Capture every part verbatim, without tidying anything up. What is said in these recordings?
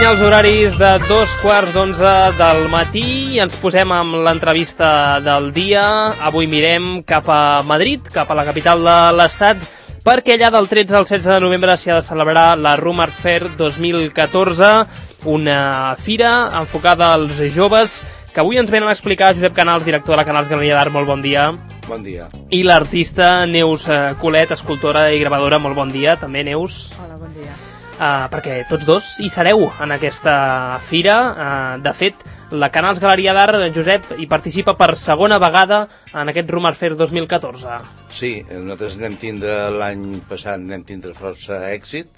senyar els horaris de dos quarts d'onze del matí i ens posem amb l'entrevista del dia. Avui mirem cap a Madrid, cap a la capital de l'Estat, perquè allà del tretze al setze de novembre s'hi ha de celebrar la Room Art Fair dos mil catorze, una fira enfocada als joves, que avui ens venen a explicar Josep Canals, director de la Canals Galeria d'Art. Molt bon dia. Bon dia. I l'artista Neus Colet, escultora i gravadora. Molt bon dia, també, Neus. Hola, bon dia. Uh, perquè tots dos hi sereu en aquesta fira. Uh, de fet, la Canals Galeria d'Art, Josep, hi participa per segona vegada en aquest Room Art Fair dos mil catorze. Sí, nosaltres anem tindre l'any passat anem tindre força èxit.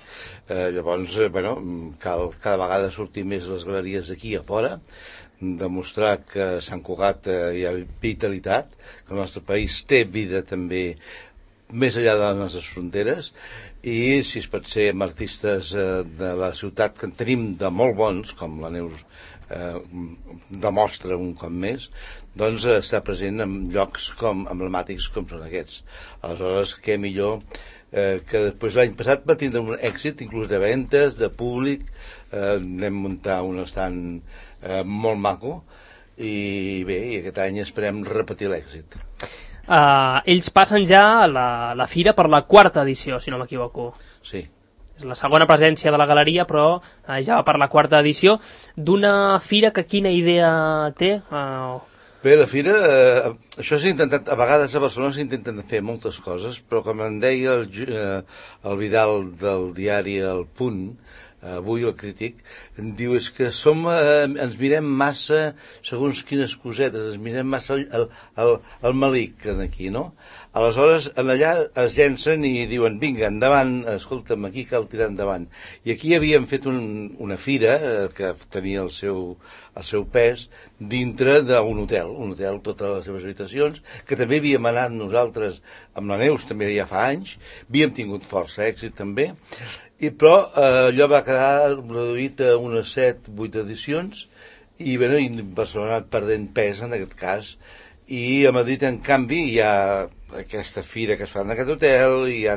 Eh, llavors, eh, bueno, cal cada vegada sortir més les galeries d'aquí a fora, demostrar que a Sant Cugat eh, hi ha vitalitat, que el nostre país té vida també més enllà de les nostres fronteres, i si es pot ser amb artistes eh, de la ciutat, que en tenim de molt bons, com la Neus eh, demostra un cop més, doncs eh, està present en llocs com emblemàtics com són aquests. Aleshores, què millor eh, que després l'any passat va tindre un èxit inclús de ventes, de públic, eh, anem muntar un estant eh, molt maco, i bé, i aquest any esperem repetir l'èxit. Uh, ells passen ja la, la fira per la quarta edició, si no m'equivoco. Sí. És la segona presència de la galeria, però uh, ja va per la quarta edició. D'una fira que quina idea té? Uh... Bé, la fira, eh, això s'ha intentat, a vegades a Barcelona s'intenten fer moltes coses, però com em deia el, eh, el Vidal del diari El Punt, avui el Crític, em diu, és que som, eh, ens mirem massa segons quines cosetes, ens mirem massa el, el, el, el malic aquí, no? Aleshores, en allà es llencen i diuen, vinga, endavant, escolta'm, aquí cal tirar endavant. I aquí havíem fet un, una fira eh, que tenia el seu, el seu pes dintre d'un hotel, un hotel, totes les seves habitacions, que també havíem anat nosaltres amb la Neus, també ja fa anys, havíem tingut força èxit també, i però eh, allò va quedar reduït a unes set, vuit edicions, i, bueno, i Barcelona ha anat perdent pes en aquest cas, i a Madrid, en canvi, hi ha aquesta fira que es fa en aquest hotel, hi ha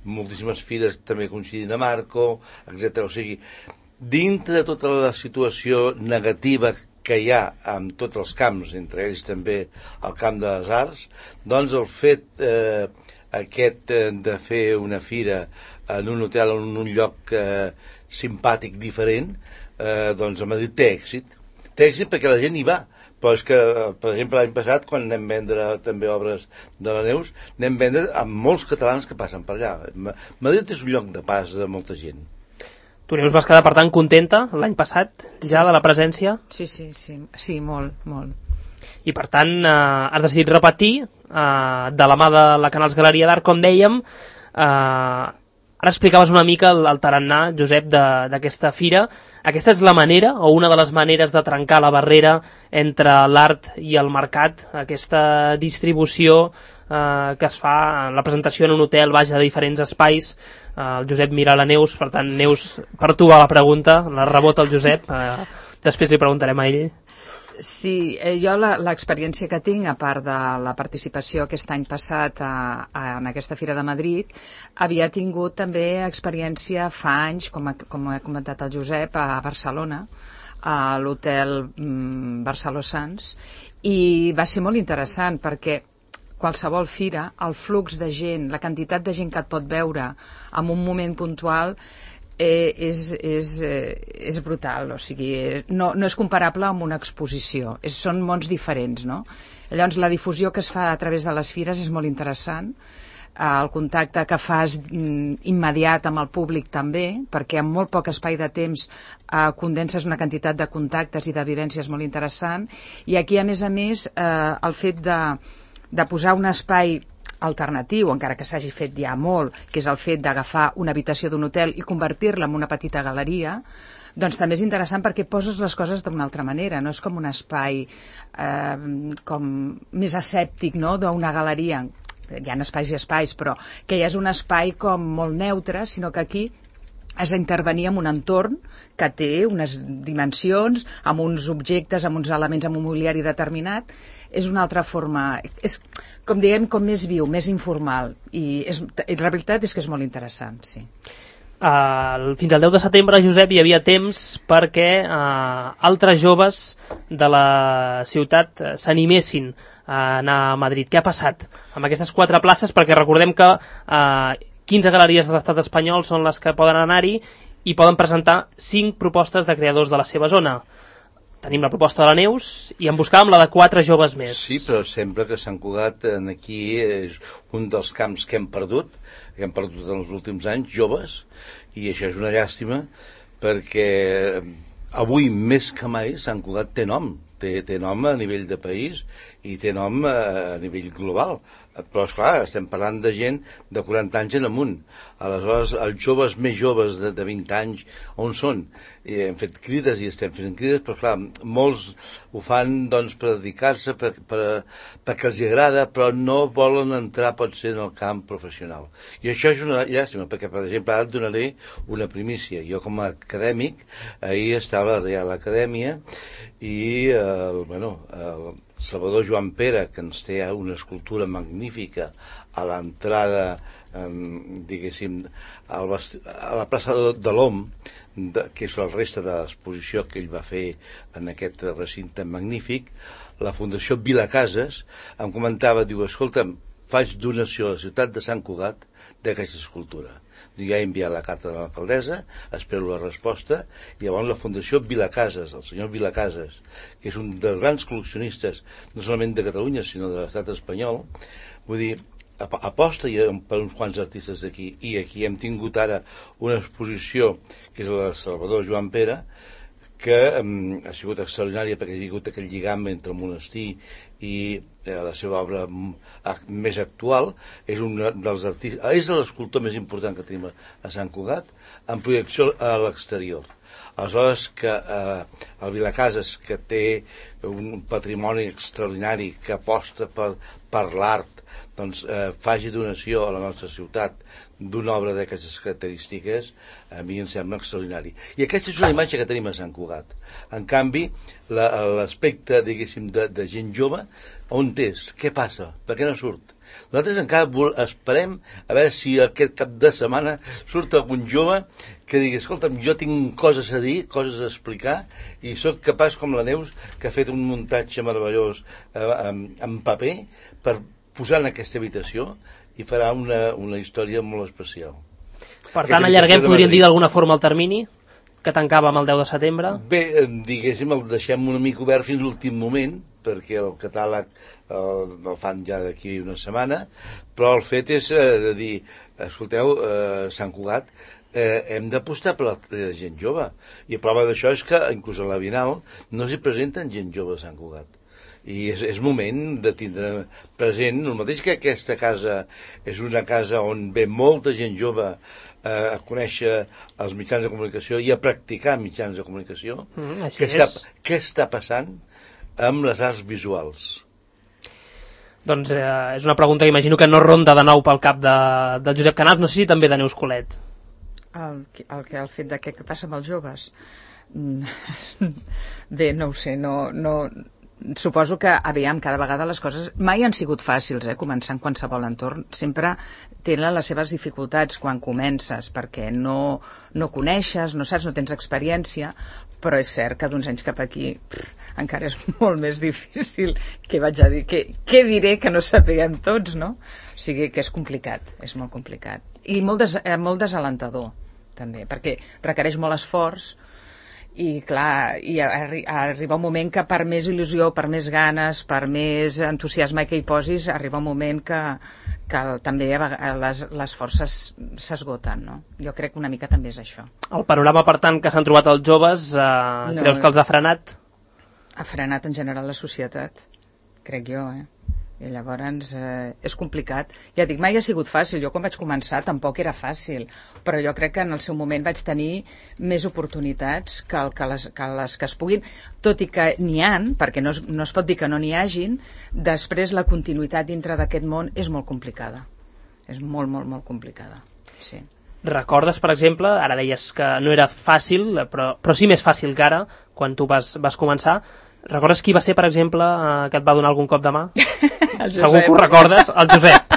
moltíssimes fires també coincidint a Marco, etcètera. O sigui, dintre de tota la situació negativa que hi ha en tots els camps, entre ells també el camp de les arts, doncs el fet eh, aquest eh, de fer una fira en un hotel, en un lloc eh, simpàtic, diferent, eh, doncs a Madrid té èxit. Té èxit perquè la gent hi va. Però és que, per exemple, l'any passat, quan anem a vendre també obres de la Neus, anem a vendre amb molts catalans que passen per allà. Madrid és un lloc de pas de molta gent. Tu, Neus, vas quedar, per tant, contenta l'any passat ja de la presència? Sí, sí, sí, sí, molt, molt. I, per tant, eh, has decidit repetir eh, de la mà de la Canals Galeria d'Art, com dèiem. Eh, ara explicaves una mica el, el tarannà, Josep, d'aquesta fira. Aquesta és la manera, o una de les maneres de trencar la barrera entre l'art i el mercat, aquesta distribució eh, que es fa, la presentació en un hotel, vaja, de diferents espais. Eh, el Josep mira la Neus, per tant, Neus, per tu va la pregunta, la rebota el Josep, eh, després li preguntarem a ell. Sí, eh, jo l'experiència que tinc, a part de la participació aquest any passat a, a, en aquesta Fira de Madrid, havia tingut també experiència fa anys, com, a, com ha comentat el Josep, a Barcelona, a l'hotel mm, Barceló Sants, i va ser molt interessant perquè qualsevol fira, el flux de gent, la quantitat de gent que et pot veure en un moment puntual, Eh, és, és, eh, és brutal, o sigui, no, no és comparable amb una exposició, és, són mons diferents, no? Llavors la difusió que es fa a través de les fires és molt interessant, eh, el contacte que fas mm, immediat amb el públic també, perquè en molt poc espai de temps eh, condenses una quantitat de contactes i de vivències molt interessant, i aquí a més a més eh, el fet de, de posar un espai alternatiu, encara que s'hagi fet ja molt, que és el fet d'agafar una habitació d'un hotel i convertir-la en una petita galeria, doncs també és interessant perquè poses les coses d'una altra manera, no és com un espai eh, com més escèptic, no?, d'una galeria. Hi ha espais i espais, però que ja és un espai com molt neutre, sinó que aquí has d'intervenir en un entorn que té unes dimensions, amb uns objectes, amb uns elements, amb un mobiliari determinat. És una altra forma, és, com diguem, com més viu, més informal, i, és, i la veritat és que és molt interessant, sí. Uh, fins al deu de setembre, Josep, hi havia temps perquè uh, altres joves de la ciutat uh, s'animessin a anar a Madrid. Què ha passat amb aquestes quatre places? Perquè recordem que uh, quinze galeries de l'estat espanyol són les que poden anar-hi i poden presentar cinc propostes de creadors de la seva zona. Tenim la proposta de la Neus i en buscàvem la de quatre joves més. Sí, però sembla que Sant Cugat aquí és un dels camps que hem perdut, que hem perdut en els últims anys, joves, i això és una llàstima, perquè avui més que mai Sant Cugat té nom, té, té nom a nivell de país i té nom a, a nivell global. Però, esclar, estem parlant de gent de quaranta anys en amunt. Aleshores, els joves més joves de, de vint anys, on són? I hem fet crides i estem fent crides, però, clar, molts ho fan, doncs, per dedicar-se, per, per, perquè els agrada, però no volen entrar, potser, en el camp professional. I això és una llàstima, perquè, per exemple, ara et donaré una primícia. Jo, com a acadèmic, ahir estava a la Reial Acadèmia i, el, bueno, el Salvador Joan Pere, que ens té una escultura magnífica a l'entrada, eh, diguéssim, al a la plaça de, de l'Om, de, que és la resta de l'exposició que ell va fer en aquest recinte magnífic, la Fundació Vilacases em comentava, diu, escolta'm, faig donació a la ciutat de Sant Cugat d'aquesta escultura. Ja he enviat la carta de l'alcaldessa, espero la resposta, i llavors la Fundació Vilacases, el senyor Vilacases, que és un dels grans col·leccionistes, no solament de Catalunya, sinó de l'estat espanyol, vull dir, aposta per uns quants artistes d'aquí, i aquí hem tingut ara una exposició, que és la de Salvador Joan Pere, que um, ha sigut extraordinària perquè ha sigut aquell lligam entre el monestir i eh, la seva obra més actual. És un dels artistes, és l'escultor més important que tenim a Sant Cugat, en projecció a l'exterior. Aleshores, que eh, el Vilacases, que té un patrimoni extraordinari, que aposta per, per l'art, doncs eh, faci donació a la nostra ciutat d'una obra d'aquestes característiques, a mi em sembla extraordinari. I aquesta és una imatge que tenim a Sant Cugat. En canvi, l'aspecte, diguéssim, de, de gent jove, on és? Què passa? Per què no surt? Nosaltres encara esperem a veure si aquest cap de setmana surt algun jove que digui, escolta'm, jo tinc coses a dir, coses a explicar, i sóc capaç, com la Neus, que ha fet un muntatge meravellós eh, en, en paper, per posar en aquesta habitació, i farà una, una història molt especial. Per tant, allarguem, podríem dir d'alguna forma el termini, que tancava amb el deu de setembre? Bé, diguéssim, el deixem una mica obert fins a l'últim moment, perquè el catàleg el, el fan ja d'aquí una setmana, però el fet és eh, de dir, escolteu, eh, Sant Cugat, eh, hem d'apostar per la, la gent jove. I a prova d'això és que, inclús a la Bienal, no s'hi presenten gent jove a Sant Cugat. I és, és moment de tindre present, el mateix que aquesta casa és una casa on ve molta gent jove eh, a conèixer els mitjans de comunicació i a practicar mitjans de comunicació, mm, què, està, què està passant amb les arts visuals? Doncs eh, és una pregunta que imagino que no ronda de nou pel cap de, de Josep Canals, no sé si també de Neus Colet. El, el, el fet de què, què passa amb els joves? Bé, no ho sé, no... no... Suposo que, aviam, cada vegada les coses mai han sigut fàcils, eh, començar en qualsevol entorn. Sempre tenen les seves dificultats quan comences, perquè no, no coneixes, no saps, no tens experiència, però és cert que d'uns anys cap aquí pff, encara és molt més difícil. Què vaig a dir? Què, què diré que no sapiguem tots, no? O sigui que és complicat, és molt complicat. I molt, des, eh, molt desalentador, també, perquè requereix molt esforç. I clar, i arri arriba un moment que per més il·lusió, per més ganes, per més entusiasme que hi posis, arriba un moment que, que també les, les forces s'esgoten, no? Jo crec que una mica també és això. El panorama, per tant, que s'han trobat els joves, eh, no, creus que els ha frenat? Ha frenat en general la societat, crec jo, eh? I llavors eh, és complicat. Ja dic, mai ha sigut fàcil. Jo quan vaig començar tampoc era fàcil, però jo crec que en el seu moment vaig tenir més oportunitats que, el, que, les, que les que es puguin, tot i que n'hi han, perquè no es, no es pot dir que no n'hi hagin, després la continuïtat dintre d'aquest món és molt complicada. És molt, molt, molt complicada. Sí. Recordes, per exemple, ara deies que no era fàcil, però, però sí més fàcil que ara, quan tu vas, vas començar. Recordes qui va ser, per exemple, eh, que et va donar algun cop de mà? Segur que ho recordes, el Josep.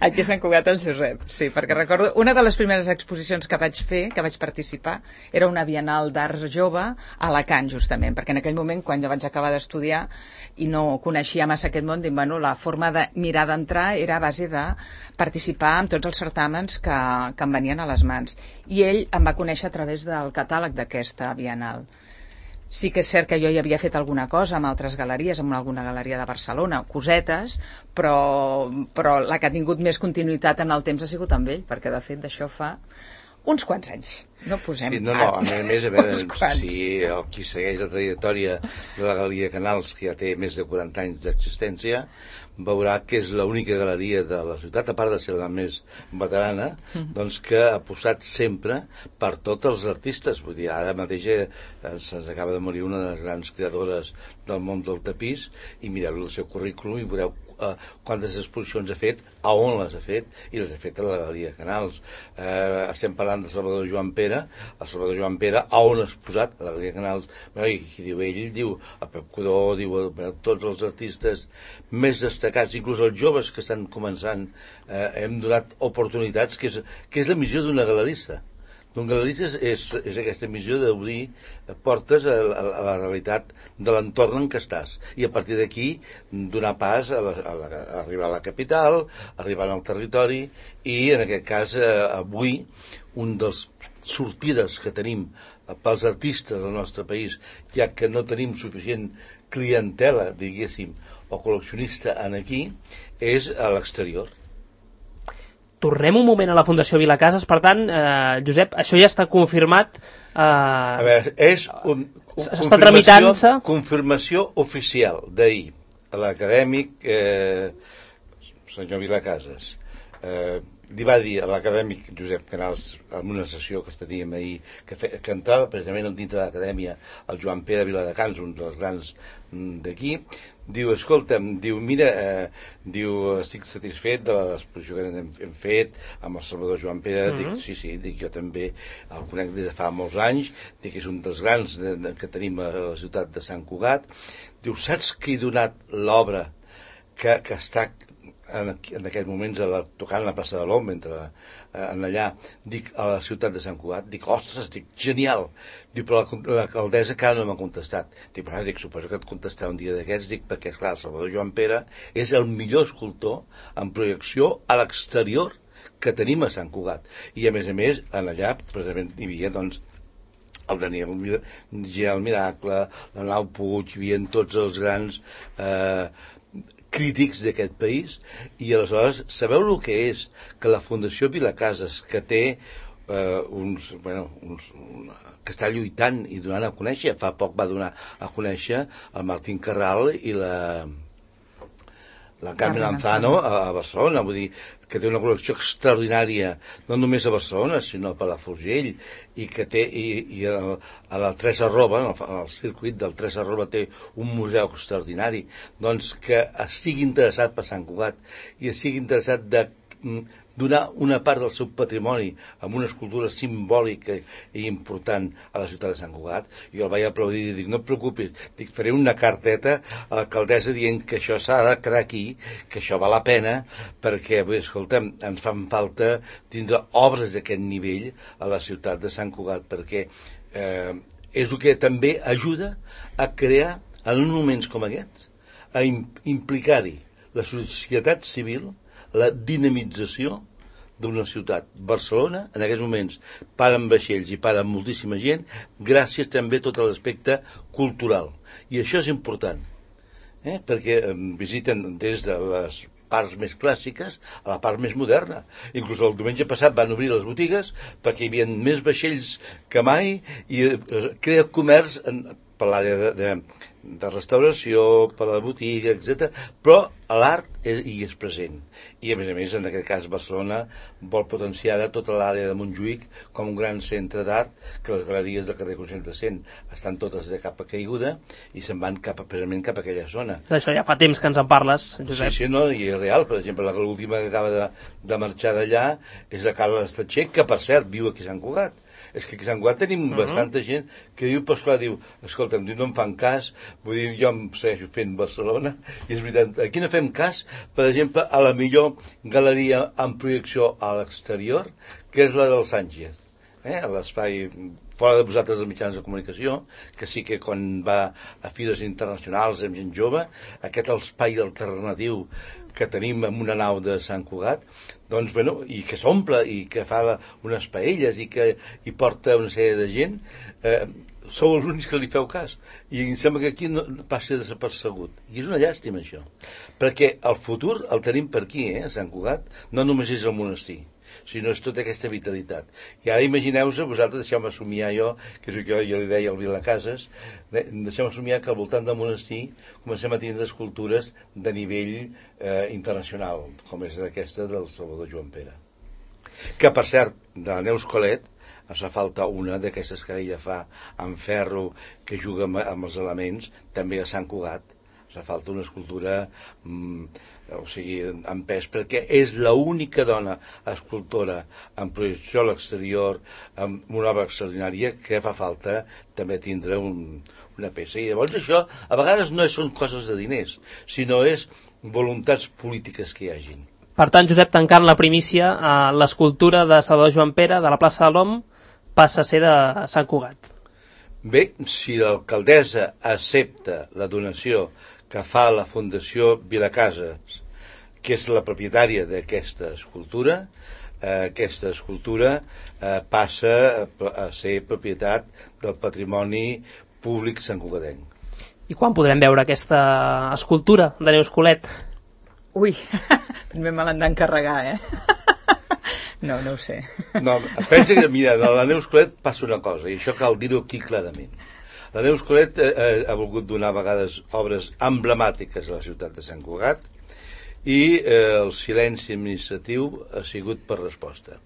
Aquí a Sant Cugat el Josep, sí, perquè recordo una de les primeres exposicions que vaig fer, que vaig participar, era una Bienal d'Art Jove a Alacant, justament, perquè en aquell moment, quan jo vaig acabar d'estudiar i no coneixia massa aquest món, dic, bueno, la forma de mirar d'entrar era a base de participar en tots els certàmens que, que em venien a les mans. I ell em va conèixer a través del catàleg d'aquesta Bienal. Sí que és cert que jo hi havia fet alguna cosa amb altres galeries, amb alguna galeria de Barcelona, cosetes, però, però la que ha tingut més continuïtat en el temps ha sigut amb ell, perquè de fet d'això fa uns quants anys. No posem... Sí, no, no, a més a veure, si el qui segueix la trajectòria de la Galeria Canals, que ja té més de quaranta anys d'existència, veurà que és l'única galeria de la ciutat, a part de ser la més veterana, mm-hmm. doncs que ha apostat sempre per tots els artistes. Vull dir, ara mateix eh, se'ns acaba de morir una de les grans creadores del món del tapís, i mireu el seu currículum i veureu Uh, quantes exposicions ha fet, a on les ha fet, i les ha fet a la Galeria Canals. Uh, estem parlant de Salvador Joan Pere. El Salvador Joan Pere, a on has posat? A la Galeria Canals. Bueno, i qui diu ell, diu a Pep Codó, diu a tots els artistes més destacats, inclús els joves que estan començant, uh, hem donat oportunitats, que és, que és la missió d'una galerista. D'un galerista és, és, és aquesta missió d'obrir portes a, a, a la realitat de l'entorn en què estàs, i a partir d'aquí donar pas a, la, a, la, a arribar a la capital, arribar al territori, i en aquest cas eh, avui un dels sortides que tenim pels artistes del nostre país, ja que no tenim suficient clientela, diguéssim, o col·leccionista en aquí, és a l'exterior. Tornem un moment a la Fundació Vilacases, per tant, eh, Josep, això ja està confirmat. Eh, a veure, és un, un, està tramitant-se. Confirmació oficial d'ahir a l'acadèmic eh, senyor Vilacases. Eh, li va dir a l'acadèmic Josep Canals, en una sessió que teníem ahir, que, fe, que entrava precisament dintre de l'acadèmia el Joan Pere Viladecans, un dels grans d'aquí, diu, escolta'm, diu, mira, eh, diu, estic satisfet de l'exposició que hem, hem fet amb el Salvador Joan Pere. Mm-hmm. Dic, sí, sí, dic, jo també el conec des de fa molts anys, dic, és un dels grans de, de, que tenim a la ciutat de Sant Cugat. Diu, saps qui ha donat l'obra que, que està en, en aquests moments a la, tocant la plaça de l'Om, mentre eh, en allà, dic, a la ciutat de Sant Cugat? Dic, ostres, dic, genial. Dic, però l'alcaldessa encara no m'ha contestat. Dic, però dic, suposo que et contestarà un dia d'aquests, dic, perquè, esclar, el Salvador Joan Pere és el millor escultor en projecció a l'exterior que tenim a Sant Cugat. I, a més a més, en allà, precisament, hi havia, doncs, el Daniel Gel Miracle, la Nau Puig, hi havia tots els grans eh, crítics d'aquest país, i aleshores sabeu el que és que la Fundació Vilacases, que té eh, uns, bueno, uns, una, que està lluitant i donant a conèixer, fa poc va donar a conèixer el Martín Carral i la la Carmen Lanzano a Barcelona, vull dir, que té una col·lecció extraordinària, no només a Barcelona, sinó a Palafrugell, i que té, i, i a, a la Tres Arroba, en el, en el circuit del Tres Arroba té un museu extraordinari, doncs que estigui interessat per Sant Cugat i estigui interessat de donar una part del seu patrimoni amb una escultura simbòlica i important a la ciutat de Sant Cugat. Jo el vaig aplaudir i dic, no et preocupis, dic, faré una carteta a l'alcaldessa dient que això s'ha de quedar aquí, que això val la pena, perquè, vull dir, escolta'm, ens fan falta tindre obres d'aquest nivell a la ciutat de Sant Cugat, perquè eh, és el que també ajuda a crear, en moments com aquests, a implicar-hi la societat civil, la dinamització d'una ciutat. Barcelona, en aquests moments, para amb vaixells i para amb moltíssima gent, gràcies també a tot l'aspecte cultural. I això és important, eh? Perquè eh, visiten des de les parts més clàssiques a la part més moderna. Inclús el diumenge passat van obrir les botigues perquè hi havia més vaixells que mai, i eh, crea comerç en, per l'àrea de, de, de restauració, per la botiga, etcètera. Però l'art és, hi és present. I, a més a més, en aquest cas, Barcelona vol potenciar tota l'àrea de Montjuïc com un gran centre d'art, que les galeries del carrer Consell de Cent estan totes de capa caiguda i se'n van cap, precisament cap a aquella zona. D'això ja fa temps que ens en parles, Josep. Sí, sí, no, i és real. Per exemple, l'última que acaba de, de marxar d'allà és la Carla Estatxer, que, per cert, viu aquí a Sant Cugat. És que a Sant Cugat tenim uh -huh. bastanta gent que diu, però esclar, diu, escolta'm, diu, no em fan cas, vull dir, jo em segueixo fent Barcelona, i és veritat, aquí no fem cas, per exemple, a la millor galeria amb projecció a l'exterior, que és la del Sánchez, eh? A l'espai fora de vosaltres dels mitjans de comunicació, que sí que quan va a fires internacionals amb gent jove, aquest espai alternatiu que tenim en una nau de Sant Cugat, doncs, bueno, i que s'omple i que fa unes paelles i que hi porta una sèrie de gent, eh, sou els únics que li feu cas. I em sembla que aquí no passa desapercebut. I és una llàstima, això. Perquè el futur el tenim per aquí, eh, a Sant Cugat. No només és el monestir, sinó és tota aquesta vitalitat. I ara imagineu-vos, vosaltres, deixeu-me somiar jo, que és el que jo li deia al Vilacases, deixeu-me somiar que al voltant del monestir comencem a tindre escultures de nivell eh, internacional, com és aquesta del Salvador Joan Pere. Que, per cert, de la Neus Colet, ens fa falta una d'aquestes que ella fa en ferro, que juga amb, amb els elements, també a Sant Cugat. Ens fa falta una escultura... Mm, o sigui, en pes, perquè és l'única dona escultora en projecció a l'exterior, amb una obra extraordinària, que fa falta també tindre un, una peça. I llavors això, a vegades no són coses de diners, sinó és voluntats polítiques que hi hagin. Per tant, Josep, tancant la primícia, eh, l'escultura de Salvador Joan Pere, de la plaça de l'Om, passa a ser de Sant Cugat. Bé, si l'alcaldessa accepta la donació que fa la Fundació Vilacases, que és la propietària d'aquesta escultura, eh, aquesta escultura eh, passa a, a ser propietat del patrimoni públic santcugatenc. I quan podrem veure aquesta escultura de Neus Colet? Ui, primer me l'han d'encarregar, eh? No, no ho sé. No, pensa que, mira, de la Neus Colet passa una cosa, i això cal dir-ho aquí clarament. La Neus Colet eh, ha volgut donar a vegades obres emblemàtiques a la ciutat de Sant Cugat i eh, el silenci administratiu ha sigut per resposta.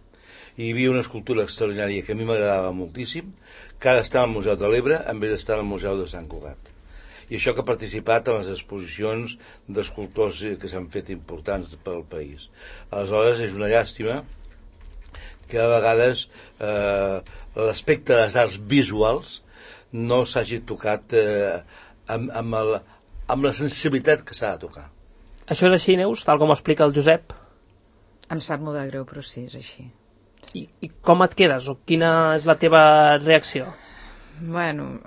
Hi havia una escultura extraordinària que a mi m'agradava moltíssim, que ara està al Museu de l'Ebre en vez d'estar al Museu de Sant Cugat. I això que ha participat en les exposicions d'escultors que s'han fet importants pel país. Aleshores, és una llàstima que a vegades eh, l'aspecte de les arts visuals no s'hagi tocat eh, amb, amb, el, amb la sensibilitat que s'ha de tocar. Això és així, Neus, tal com ho explica el Josep? Em sap molt de greu, però sí, és així. I, i com et quedes? O quina és la teva reacció? Bueno,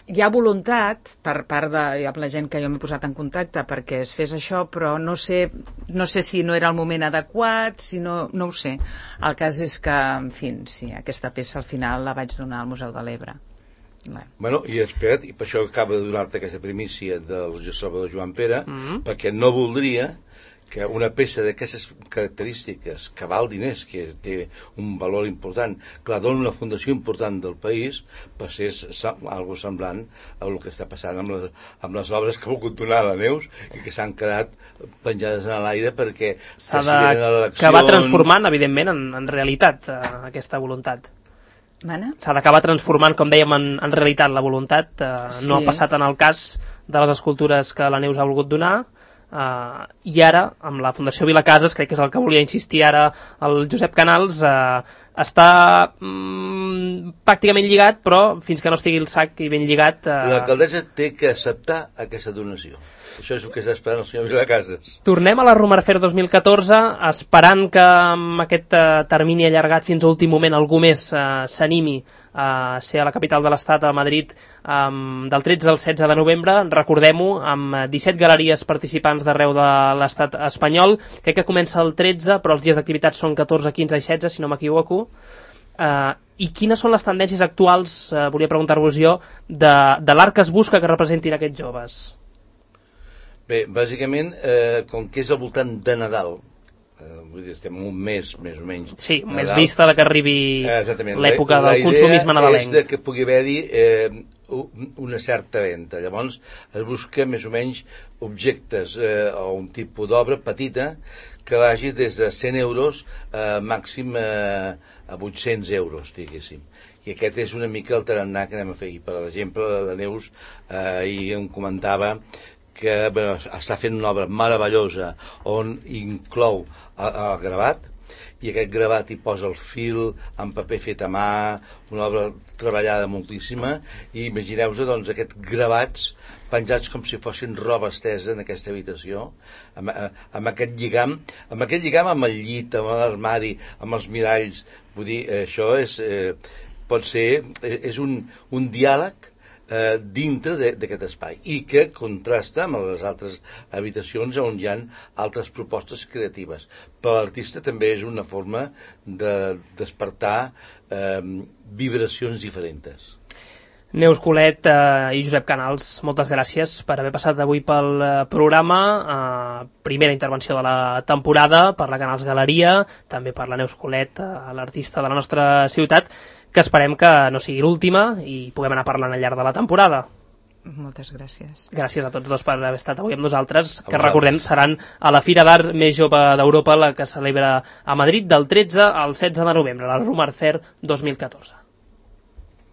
hi ha voluntat per part de amb la gent que jo m'he posat en contacte perquè es fes això, però no sé, no sé si no era el moment adequat, si no, no ho sé. El cas és que, en fi, sí, aquesta peça al final la vaig donar al Museu de l'Ebre. Bueno. bueno, i espera't, i per això acaba de donar-te aquesta primícia del Salvador Joan Pere, mm-hmm. perquè no voldria que una peça d'aquestes característiques, que val diners, que té un valor important, que la dona una fundació important del país, passés algo semblant a el que està passant amb les, amb les obres que ha volgut donar a la Neus i que s'han quedat penjades en l'aire perquè s'ha d'acabar transformant, evidentment, en, en realitat eh, aquesta voluntat. S'ha d'acabar transformant, com dèiem, en, en realitat la voluntat. Eh, sí. No ha passat en el cas de les escultures que la Neus ha volgut donar. Uh, i ara, amb la Fundació Vilacases, crec que és el que volia insistir ara el Josep Canals, uh, està mm, pràcticament lligat, però fins que no estigui el sac i ben lligat... Uh... L'alcaldessa té que acceptar aquesta donació. Això és el que està esperant el senyor Vilacases. Tornem a la Romarfer dos mil catorze, esperant que amb aquest uh, termini allargat fins a últim moment algú més uh, s'animi a ser a la capital de l'Estat, a Madrid, um, del tretze al setze de novembre, recordem-ho, amb disset galeries participants d'arreu de l'Estat espanyol. Crec que comença el tretze, però els dies d'activitat són catorze, quinze i setze, si no m'equivoco. Uh, I quines són les tendències actuals, uh, volia preguntar-vos jo, de, de l'art que es busca que representin aquests joves? Bé, bàsicament, eh, com que és al voltant de Nadal, eh, vull dir, estem un mes, més o menys... Sí, Nadal, més vista de que arribi eh, l'època del consumisme nadalenc. La idea és que pugui haver-hi eh, una certa venda. Llavors, es busca més o menys objectes eh, o un tipus d'obra petita que vagi des de cent euros eh, màxim eh, a vuit-cents euros, diguéssim. I aquest és una mica el tarannà que anem a fer. I, per exemple, la Neus eh, ahir em comentava que bueno, està fent una obra meravellosa on inclou el, el gravat i aquest gravat hi posa el fil en paper fet a mà, una obra treballada moltíssima, i imagineu-vos doncs aquests gravats penjats com si fossin roba estesa en aquesta habitació, amb, amb aquest lligam, amb aquest lligam amb el llit, amb l'armari, amb els miralls. Vull dir, això és, eh, pot ser, és un, un diàleg eh, dintre d'aquest espai, i que contrasta amb les altres habitacions on hi ha altres propostes creatives. Per l'artista també és una forma de despertar eh, vibracions diferents. Neus Colet eh, i Josep Canals, moltes gràcies per haver passat avui pel eh, programa, eh, primera intervenció de la temporada per la Canals Galeria, també per la Neus Colet, eh, l'artista de la nostra ciutat, que esperem que no sigui l'última i puguem anar parlant al llarg de la temporada. Moltes gràcies. Gràcies a tots dos per haver estat avui amb nosaltres, que recordem seran a la Fira d'Art més jove d'Europa, la que celebra a Madrid del tretze al setze de novembre, la Rummar Fair dos mil catorze.